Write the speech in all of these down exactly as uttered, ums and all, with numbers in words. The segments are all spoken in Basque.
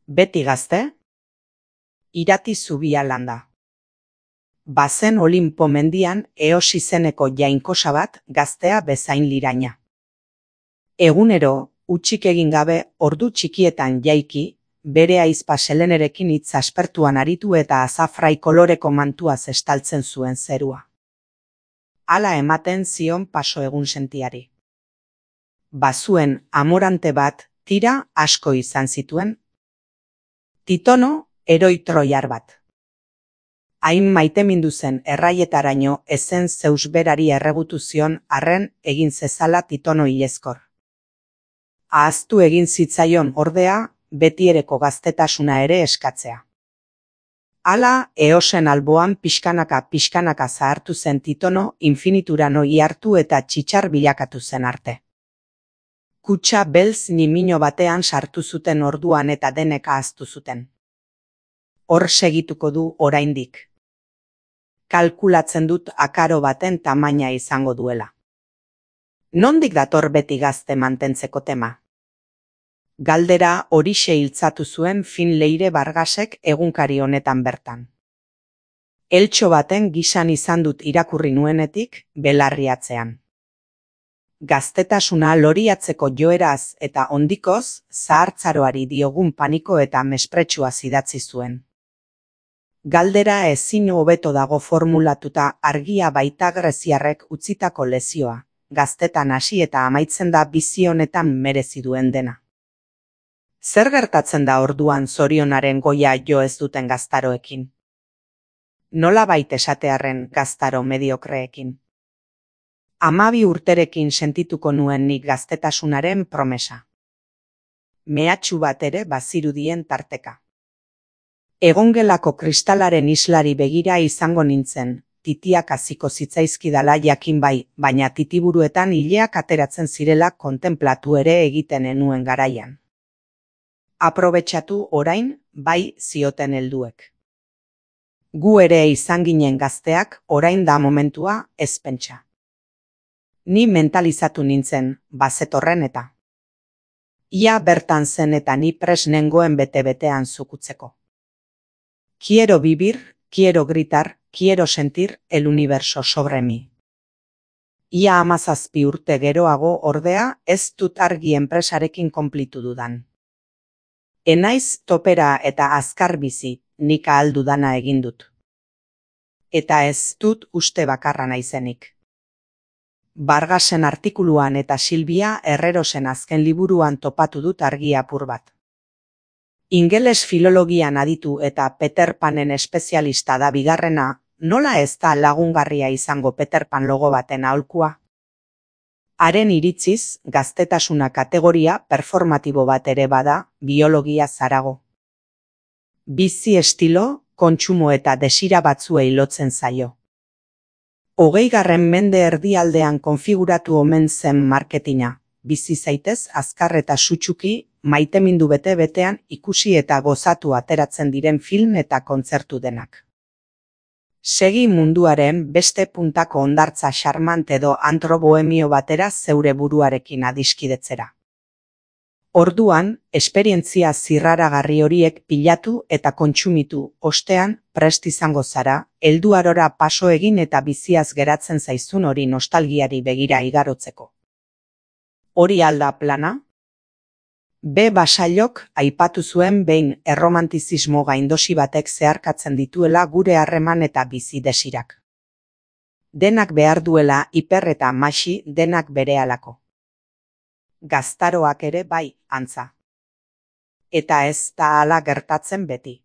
Beti gazte? Irati zubia landa. Bazen Olinpo mendian Eos izeneko jainkosa bat gaztea bezain liraina. Egunero, hutsik egin gabe ordu txikietan jaiki, bere ahizpa Selenerekin hitz aspertuan aritu eta azafrai koloreko mantuaz estaltzen zuen zerua. Hala ematen zion paso egun sentiari. Bazuen amorante bat, tira asko izan zituen. Titono, heroi troiar bat. Hain maitemindu zen erraietaraino ezen Zeus berari erregutu zion arren egin zezala Titono hilezkor. Ahaztu egin zitzaion ordea, betiereko gaztetasuna ere eskatzea. Hala, Eosen alboan pixkanaka pixkanaka zahartu zen Titono infiniturano ihartu eta txitxar bilakatu zen arte. Kutxa beltz nimino batean sartu zuten orduan eta denek ahaztu zuten. Hor segituko du oraindik. Kalkulatzen dut akaro baten tamaina izango duela. Nondik dator beti gazte mantentzeko tema? Galdera horixe hiltzatu zuen Fin Leire Vargasek egunkari honetan bertan. Eltxo baten gisan izan dut irakurri nuenetik, belarriatzean. Gaztetasuna loriatzeko joeraz eta ondikoz, zahartzaroari diogun paniko eta mespretsua idatzi zuen. Galdera ezin hobeto dago formulatuta argia baita greziarrek utzitako lezioa, gaztetan hasi eta amaitzen da bizi honetan merezi duen dena. Zer gertatzen da orduan zorionaren goia jo ez duten gaztaroekin? Nolabait esatearren gaztaro mediokreekin? Hamabi urterekin sentituko nuen nik gaztetasunaren promesa. Mehatxu bat ere bazirudien tarteka. Egongelako kristalaren islari begira izango nintzen, titiak hasiko zitzaizkidala jakin bai, baina titiburuetan ileak ateratzen zirela kontenplatu ere egiten enuen garaian. Aprobetxatu orain, bai zioten helduek. Gu ere izan ginen gazteak, orain da momentua, ez pentsa. Ni mentalizatu nintzen, bazetorren eta. Ia bertan zen eta ni pres nengoen bete-betean zukutzeko. Quiero vivir, quiero gritar, quiero sentir el universo sobre mi. Ia hamazazpi urte geroago ordea ez dut argi enpresarekin konplitu dudan. Enaiz topera eta azkar bizi, nik ahal dudana egin dut. Eta ez dut uste bakarra naizenik. Vargasen artikuluan eta Silvia Herrerosen azken liburuan topatu dut argi apur bat. Ingeles filologian aditu eta Peter Panen espezialista da bigarrena, nola ez da lagungarria izango Peter Pan logo baten aholkua? Haren iritziz, gaztetasuna kategoria performatibo bat ere bada, biologia zarago. Bizi estilo, kontsumo eta desira batzuei lotzen zaio. Hogeigarren mende erdialdean konfiguratu omen zen marketina, bizi zaitez azkar eta sutsuki, maitemindu bete-betean ikusi eta gozatu ateratzen diren film eta kontzertu denak. Segi munduaren beste puntako hondartza xarmant edo antro bohemio batera zeure buruarekin adiskidetzera. Orduan, esperientzia zirraragarri horiek pilatu eta kontsumitu, ostean, prest izango zara, helduarora paso egin eta biziaz geratzen zaizun hori nostalgiari begira igarotzeko. Hori alda plana? B. Basailok aipatu zuen behin erromantizismo gaindosi batek zeharkatzen dituela gure harreman eta bizi desirak. Denak behar duela hiper eta maxi denak berehalako. Gaztaroak ere bai, antza. Eta ez da hala gertatzen beti.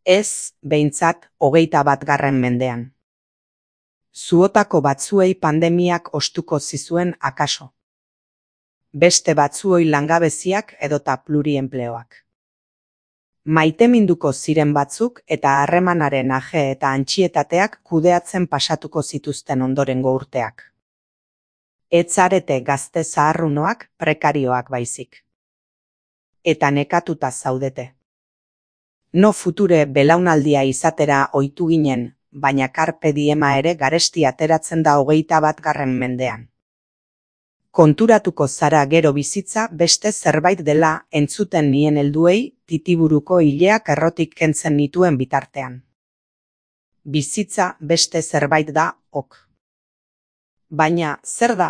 Ez, behintzat, hogeita bat garren mendean. Zuotako batzuei pandemiak ostuko zizuen akaso. Beste batzuoi langabeziak edota plurienpleoak. Maiteminduko ziren batzuk eta harremanaren aje eta antxietateak kudeatzen pasatuko zituzten ondorengo urteak. Etzarete gazte zaharrunoak prekarioak baizik. Eta nekatuta zaudete. No future belaunaldia izatera ohitu ginen, baina carpe diema ere garesti ateratzen da hogeita bat garren mendean. Konturatuko zara gero bizitza beste zerbait dela entzuten nien helduei titiburuko ileak errotik kentzen nituen bitartean. Bizitza beste zerbait da, ok. Baina, zer da?